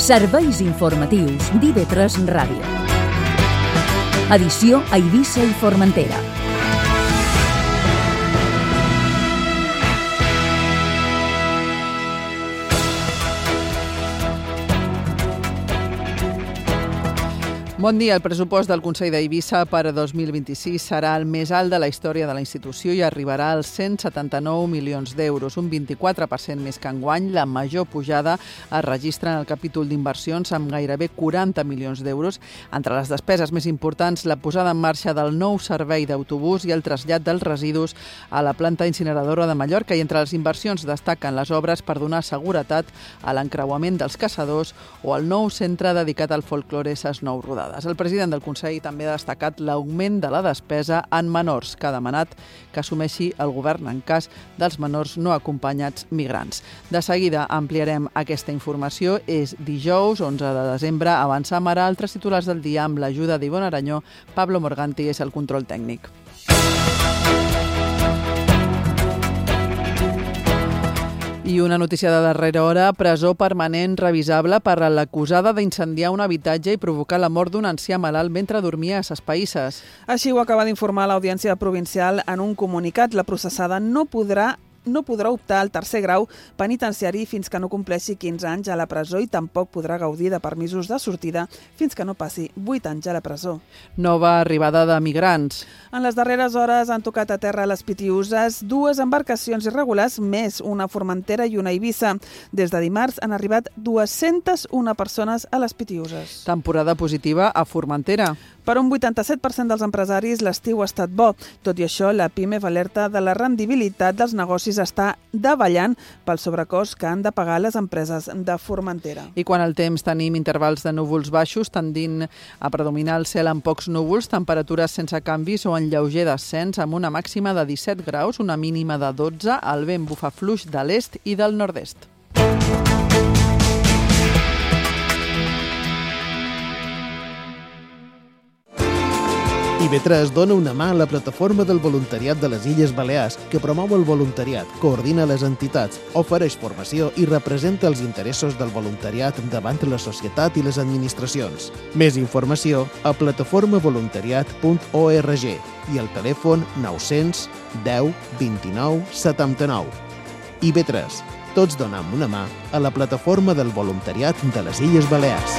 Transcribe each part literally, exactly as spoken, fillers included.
Serveis informatius d'I V tres Ràdio. Edició a Eivissa i Formentera. Bon dia. El pressupost del Consell d'Eivissa per a dos mil vint-i-sis serà el més alt de la història de la institució i arribarà als cent setanta-nou milions d'euros, un vint-i-quatre per cent més que enguany. La major pujada es registra en el capítol d'inversions amb gairebé quaranta milions d'euros. Entre les despeses més importants, la posada en marxa del nou servei d'autobús i el trasllat dels residus a la planta incineradora de Mallorca. I entre les inversions destaquen les obres per donar seguretat a l'encreuament dels caçadors o al nou centre dedicat al folklore Ses Nou Rodades. El president del Consell també ha destacat l'augment de la despesa en menors, que ha demanat que assumeixi el govern en cas dels menors no acompanyats migrants. De seguida ampliarem aquesta informació. És dijous, onze de desembre. Avancem ara altres titulars del dia amb l'ajuda d'Ivonne Aranyó. Pablo Morganti és el control tècnic. I una notícia de darrera hora: presó permanent revisable per a l'acusada d'incendiar un habitatge i provocar la mort d'un ancià malalt mentre dormia a Ses Païsses. Així ho acaba d'informar l'Audiència Provincial en un comunicat. La processada no podrà no podrà optar al tercer grau penitenciari fins que no compleixi quinze anys a la presó i tampoc podrà gaudir de permisos de sortida fins que no passi vuit anys a la presó. Nova arribada de migrants. En les darreres hores han tocat a terra les Pitiüses dues embarcacions irregulars, més una Formentera i una Eivissa. Des de dimarts han arribat dues-centes una persones a les Pitiüses. Temporada positiva a Formentera. Per un vuitanta-set per cent dels empresaris l'estiu ha estat bo. Tot i això, la PIMEF alerta de la rendibilitat dels negocis està davallant pel sobrecost que han de pagar les empreses de Formentera. I quan el temps tenim intervals de núvols baixos tendint a predominar el cel amb pocs núvols, temperatures sense canvis o en lleuger descens amb una màxima de disset graus, una mínima de dotze, el vent bufa fluix de l'est i del nord-est. I V tres dona una mà a la plataforma del voluntariat de les Illes Balears, que promou el voluntariat, coordina les entitats, ofereix formació i representa els interessos del voluntariat davant la societat i les administracions. Més informació a plataforma voluntariat punt org i al telèfon nou-cents deu vint-i-nou setanta-nou. I V tres. Tots donem una mà a la plataforma del voluntariat de les Illes Balears.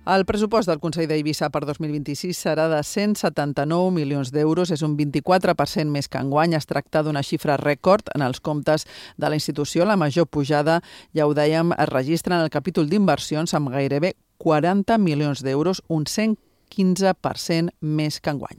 El pressupost del Consell d'Eivissa per dos mil vint-i-sis serà de cent setanta-nou milions d'euros, és un vint-i-quatre per cent més que enguany. Es tracta d'una xifra rècord en els comptes de la institució. La major pujada, ja ho dèiem, es registra en el capítol d'inversions amb gairebé quaranta milions d'euros, un cent quinze per cent més que enguany.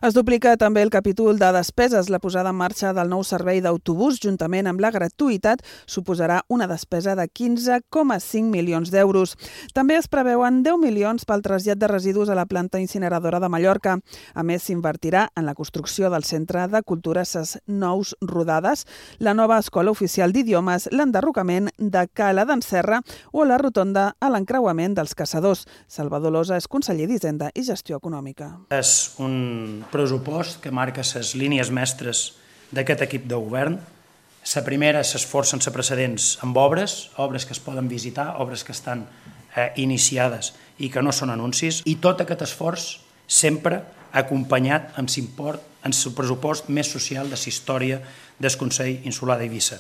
Es duplica també el capítol de despeses. La posada en marxa del nou servei d'autobús, juntament amb la gratuïtat, suposarà una despesa de quinze coma cinc milions d'euros. També es preveuen deu milions pel trasllat de residus a la planta incineradora de Mallorca. A més, s'invertirà en la construcció del Centre de Cultura Ses Nou Rodades, la nova Escola Oficial d'Idiomes, l'enderrocament de Cala d'en Serra o la rotonda a l'encreuament dels caçadors. Salvador Losa és conseller d'Hisenda i Gestió Econòmica. És un pressupost que marca les línies mestres d'aquest equip de govern. La primera s'esforça sense precedents amb obres, obres que es poden visitar, obres que estan eh, iniciades i que no són anuncis, i tot aquest esforç sempre acompanyat amb l'import, en el pressupost més social de la història del Consell Insular d'Eivissa.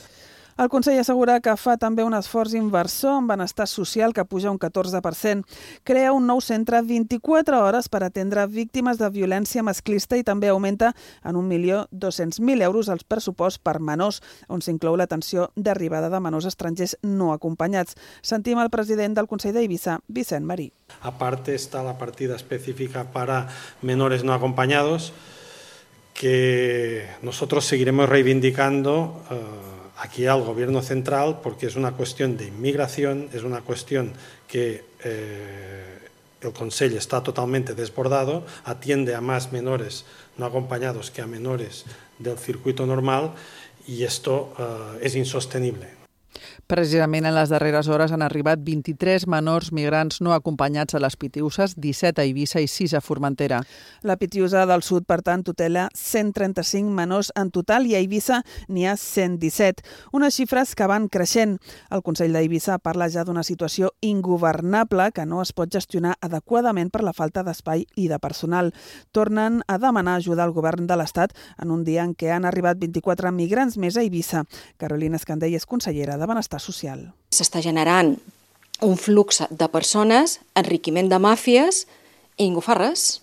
El Consell assegura que fa també un esforç inversor en benestar social que puja un catorze per cent. Crea un nou centre vint-i-quatre hores per atendre víctimes de violència masclista i també augmenta en un milió dos-cents mil euros el pressupost per menors, on s'inclou l'atenció d'arribada de menors estrangers no acompanyats. Sentim el president del Consell d'Eivissa, Vicent Marí. Aparte está la partida específica para menores no acompañados, que nosotros seguiremos reivindicando uh, aquí al Gobierno central, porque es una cuestión de inmigración, es una cuestión que eh, el Consell está totalmente desbordado, atiende a más menores no acompañados que a menores del circuito normal y esto uh, es insostenible. Precisament en les darreres hores han arribat vint-i-tres menors migrants no acompanyats a les Pitiüses, disset a Eivissa i sis a Formentera. La Pitiüsa del Sud, per tant, tutela cent trenta-cinc menors en total i a Eivissa n'hi ha cent disset, unes xifres que van creixent. El Consell d'Eivissa parla ja d'una situació ingovernable que no es pot gestionar adequadament per la falta d'espai i de personal. Tornen a demanar ajuda al govern de l'Estat en un dia en què han arribat vint-i-quatre migrants més a Eivissa. Carolina Escandell és consellera de Benestar Social. S'està generant un flux de persones, enriquiment de màfies, i ningú fa res.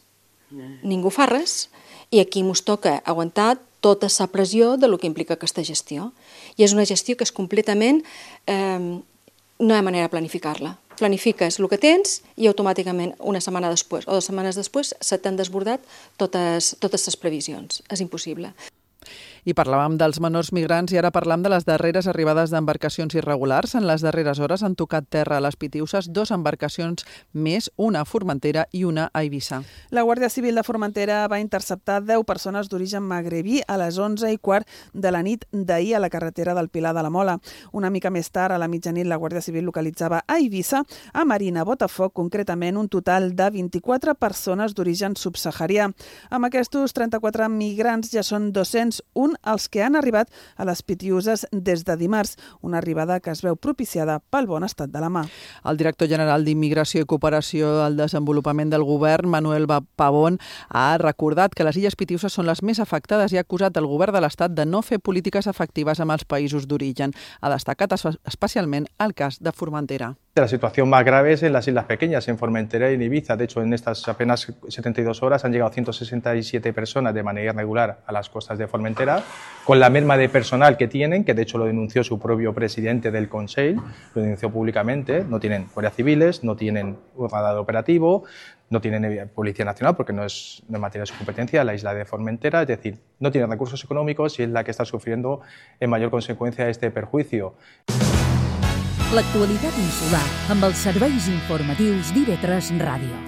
Ningú fa res. I aquí ens toca aguantar tota la pressió de lo que implica aquesta gestió. I és una gestió que és completament... Eh, no hi ha manera de planificar-la. Planifiques el que tens i automàticament una setmana després o dues setmanes després se t'han desbordat totes, totes les previsions. És impossible. I parlàvem dels menors migrants i ara parlam de les darreres arribades d'embarcacions irregulars. En les darreres hores han tocat terra a les Pitiüses dos embarcacions més, una a Formentera i una a Eivissa. La Guàrdia Civil de Formentera va interceptar deu persones d'origen magrebí a les onze i quart de la nit d'ahir a la carretera del Pilar de la Mola. Una mica més tard, a la mitjanit, la Guàrdia Civil localitzava a Eivissa, a Marina Botafoc, concretament un total de vint-i-quatre persones d'origen subsaharià. Amb aquests trenta-quatre migrants ja són dos-cents un els que han arribat a les Pitiüses des de dimarts, una arribada que es veu propiciada pel bon estat de la mà. El director general d'Immigració i Cooperació al Desenvolupament del Govern, Manuel Pavón, ha recordat que les Illes Pitiüses són les més afectades i ha acusat el govern de l'Estat de no fer polítiques efectives amb els països d'origen. Ha destacat especialment el cas de Formentera. La situación más grave es en las islas pequeñas, en Formentera y en Ibiza. De hecho, en estas apenas setenta y dos horas han llegado ciento sesenta y siete personas de manera irregular a las costas de Formentera, con la merma de personal que tienen, que de hecho lo denunció su propio presidente del Consell, lo denunció públicamente. No tienen guardias civiles, no tienen un radar operativo, no tienen Policía Nacional porque no es, no es materia de su competencia, la isla de Formentera, es decir, no tienen recursos económicos y es la que está sufriendo en mayor consecuencia este perjuicio. L'actualitat insular amb els serveis informatius d'I V tres Ràdio.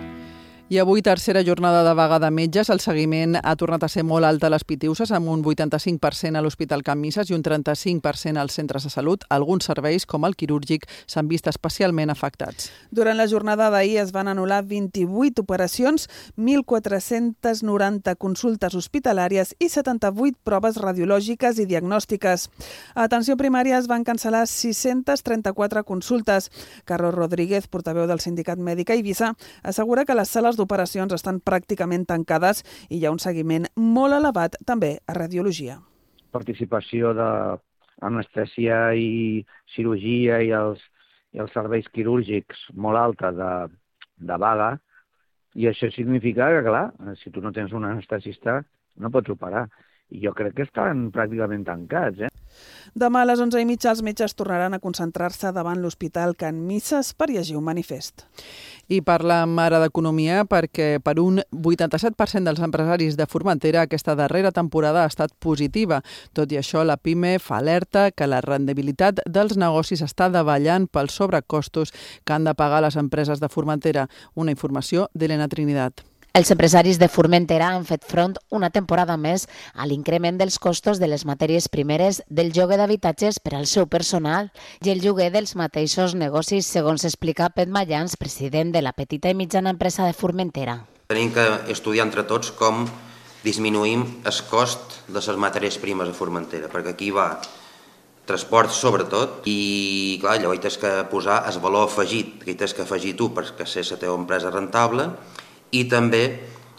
I avui, tercera jornada de vaga de metges. El seguiment ha tornat a ser molt alt a les Pitiüses, amb un vuitanta-cinc per cent a l'Hospital Can Misses i un trenta-cinc per cent als centres de salut. Alguns serveis, com el quirúrgic, s'han vist especialment afectats. Durant la jornada d'ahir es van anul·lar vint-i-vuit operacions, mil quatre-cents noranta consultes hospitalàries i setanta-vuit proves radiològiques i diagnòstiques. A atenció primària es van cancel·lar sis-centes trenta-quatre consultes. Carlos Rodríguez, portaveu del Sindicat Mèdic a Eivissa, assegura que les sales d'operacions estan pràcticament tancades i hi ha un seguiment molt elevat també a radiologia. Participació d'anestèsia i cirurgia i els, i els serveis quirúrgics molt alta de, de vaga, i això significa que, clar, si tu no tens un anestesista no pots operar. I jo crec que estan pràcticament tancats, eh? Demà a les onze i mitja els metges tornaran a concentrar-se davant l'Hospital Can Misses per llegir un manifest. I parlem ara d'economia perquè per un vuitanta-set per cent dels empresaris de Formentera aquesta darrera temporada ha estat positiva. Tot i això, la PIME fa alerta que la rendibilitat dels negocis està davallant pels sobrecostos que han de pagar les empreses de Formentera. Una informació d'Helena Trinidad. Els empresaris de Formentera han fet front una temporada més a l'increment dels costos de les matèries primeres, del lloguer d'habitatges per al seu personal i el lloguer dels mateixos negocis, segons explica Pet Mayans, president de la petita i mitjana empresa de Formentera. Tenim que estudiar entre tots com disminuïm el cost de les matèries primes a Formentera, perquè aquí va transport sobretot i clar, llavors tens que posar el valor afegit, que tens que afegir tu perquè ser la teva empresa rentable, i també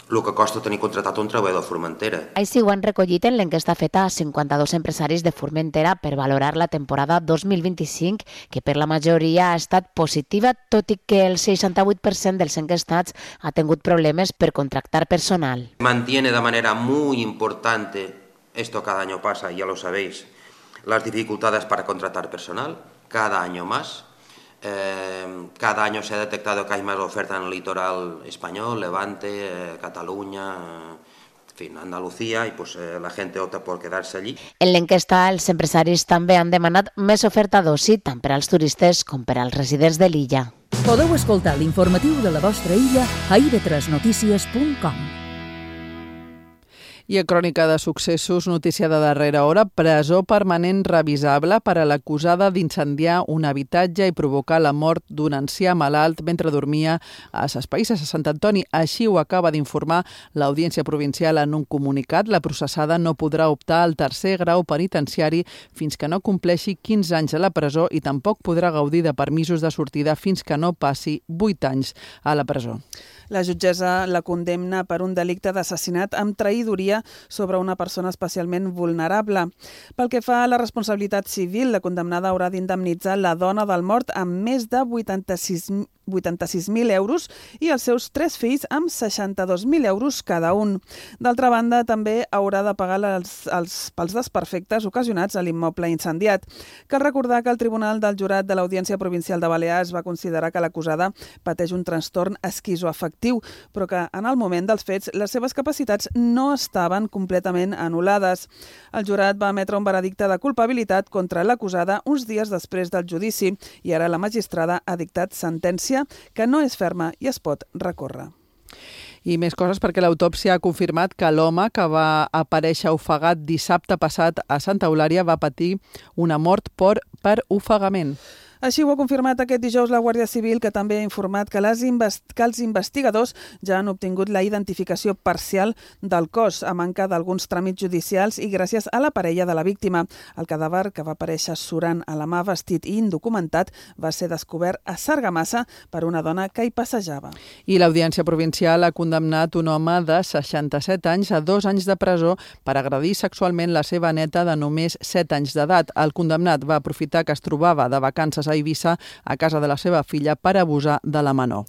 el que costa tenir contractat un treballador a Formentera. Així ho han recollit en l'enquesta feta a cinquanta-dos empresaris de Formentera per valorar la temporada dos mil vint-i-cinc, que per la majoria ha estat positiva, tot i que el seixanta-vuit per cent dels enquestats ha tingut problemes per contractar personal. Mantiene de manera muy importante, esto cada año pasa, ya lo sabéis, las dificultades para contratar personal, cada año más. Eh, cada año se ha detectado que hay más oferta en el litoral español, Levante, eh, Cataluña, eh, en fin, Andalucía, y pues eh, la gente opta por quedarse allí. En l'enquesta, els empresaris també han demanat més oferta d'oci, tant per als turistes com per als residents de l'illa. Podeu escoltar l'informatiu de la vostra illa a i ve tres notícies punt com. I a Crònica de Successos, notícia de darrera hora, presó permanent revisable per a l'acusada d'incendiar un habitatge i provocar la mort d'un ancià malalt mentre dormia a Ses Païsses, a Sant Antoni. Així ho acaba d'informar l'Audiència Provincial en un comunicat. La processada no podrà optar al tercer grau penitenciari fins que no compleixi quinze anys a la presó i tampoc podrà gaudir de permisos de sortida fins que no passi vuit anys a la presó. La jutgessa la condemna per un delicte d'assassinat amb traïdoria sobre una persona especialment vulnerable. Pel que fa a la responsabilitat civil, la condemnada haurà d'indemnitzar la dona del mort amb més de vuitanta-sis mil euros i els seus tres fills amb seixanta-dos mil euros cada un. D'altra banda, també haurà de pagar els, els, pels desperfectes ocasionats a l'immoble incendiat. Cal recordar que el Tribunal del Jurat de l'Audiència Provincial de Balears va considerar que l'acusada pateix un trastorn esquizoafectiu, però que en el moment dels fets les seves capacitats no estaven completament anul·lades. El jurat va emetre un veredicte de culpabilitat contra l'acusada uns dies després del judici i ara la magistrada ha dictat sentència que no és ferma i es pot recórrer. I més coses perquè l'autòpsia ha confirmat que l'home que va aparèixer ofegat dissabte passat a Santa Eulària va patir una mort per, per ofegament. Així ho ha confirmat aquest dijous la Guàrdia Civil, que també ha informat que, les invest... que els investigadors ja han obtingut la identificació parcial del cos a manca d'alguns tràmits judicials i gràcies a la parella de la víctima. El cadàver, que va aparèixer surant a la mà vestit i indocumentat, va ser descobert a Sargamassa per una dona que hi passejava. I l'Audiència Provincial ha condemnat un home de seixanta-set anys a dos anys de presó per agredir sexualment la seva neta de només set anys d'edat. El condemnat va aprofitar que es trobava de vacances a Eivissa a casa de la seva filla per abusar de la menor.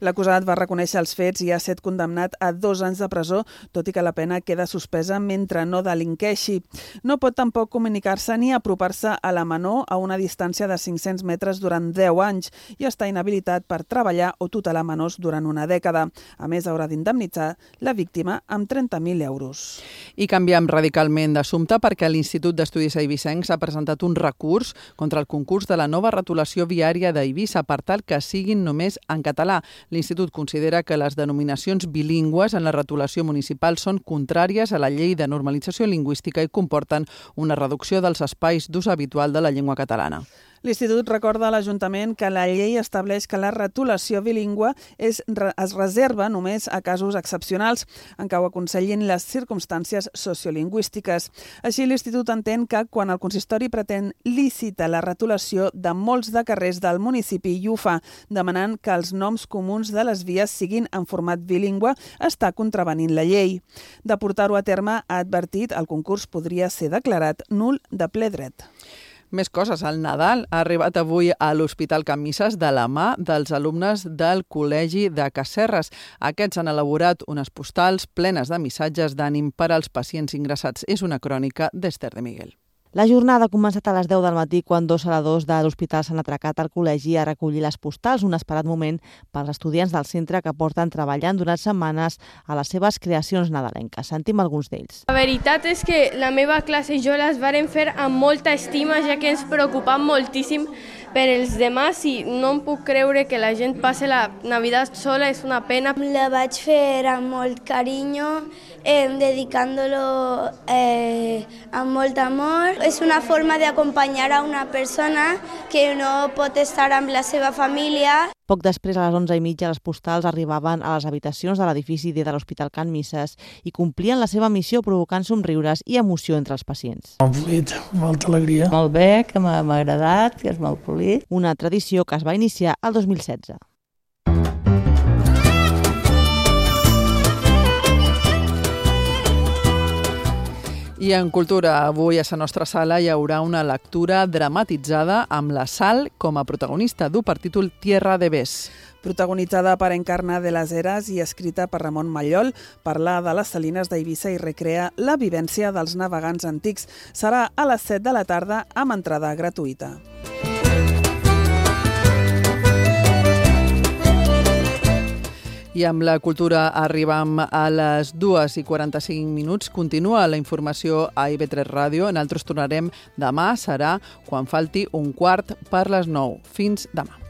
L'acusat va reconèixer els fets i ha estat condemnat a dos anys de presó, tot i que la pena queda suspesa mentre no delinqueixi. No pot tampoc comunicar-se ni apropar-se a la menor a una distància de cinc-cents metres durant deu anys i està inhabilitat per treballar o tutelar menors durant una dècada. A més, haurà d'indemnitzar la víctima amb trenta mil euros. I canviem radicalment d'assumpte perquè l'Institut d'Estudis Eivissencs ha presentat un recurs contra el concurs de la nova retolació viària d'Eivissa per tal que siguin només en català. L'Institut considera que les denominacions bilingües en la retolació municipal són contràries a la llei de normalització lingüística i comporten una reducció dels espais d'ús habitual de la llengua catalana. L'Institut recorda a l'Ajuntament que la llei estableix que la retolació bilingüe és, es reserva només a casos excepcionals en què ho aconsellin les circumstàncies sociolingüístiques. Així, l'Institut entén que quan el consistori pretén lícita la retolació de molts de carrers del municipi i ho fa demanant que els noms comuns de les vies siguin en format bilingüe, està contravenint la llei. De portar-ho a terme, ha advertit, el concurs podria ser declarat nul de ple dret. Més coses. El Nadal ha arribat avui a l'Hospital Can Misses de la mà dels alumnes del Col·legi de Casserres. Aquests han elaborat unes postals plenes de missatges d'ànim per als pacients ingressats. És una crònica d'Esther de Miguel. La jornada ha començat a les deu del matí quan dos celadors de l'hospital s'han atracat al col·legi a recollir les postals, un esperat moment pels estudiants del centre que porten treballant durant setmanes a les seves creacions nadalenques. Sentim alguns d'ells. La veritat és que la meva classe i jo les vàrem fer amb molta estima, ja que ens preocupam moltíssim per els demás i no em puc creure que la gent passi la Navidad sola, és una pena. La vaig fer amb molt carinyo, eh, dedicant-lo eh, amb molt amor. És una forma d'acompanyar a una persona que no pot estar amb la seva família. Poc després, a les onze i mitja, les postals arribaven a les habitacions de l'edifici de l'Hospital Can Misses i complien la seva missió provocant somriures i emoció entre els pacients. Molt fluid, molta alegria. Molt bé, que m'ha agradat, que és molt fluid. Una tradició que es va iniciar el dos mil setze. I en cultura, avui a la nostra sala hi haurà una lectura dramatitzada amb la Sal com a protagonista. Du per títol Tierra de Bes. Protagonitzada per Encarna de las Heras i escrita per Ramon Mallol, parla de les salines d'Eivissa i recrea la vivència dels navegants antics. Serà a les set de la tarda amb entrada gratuïta. I amb la cultura arribam a les dues i quaranta-cinc minuts. Continua la informació a I V tres Ràdio. Nosaltres tornarem demà, serà quan falti un quart per les nou. Fins demà.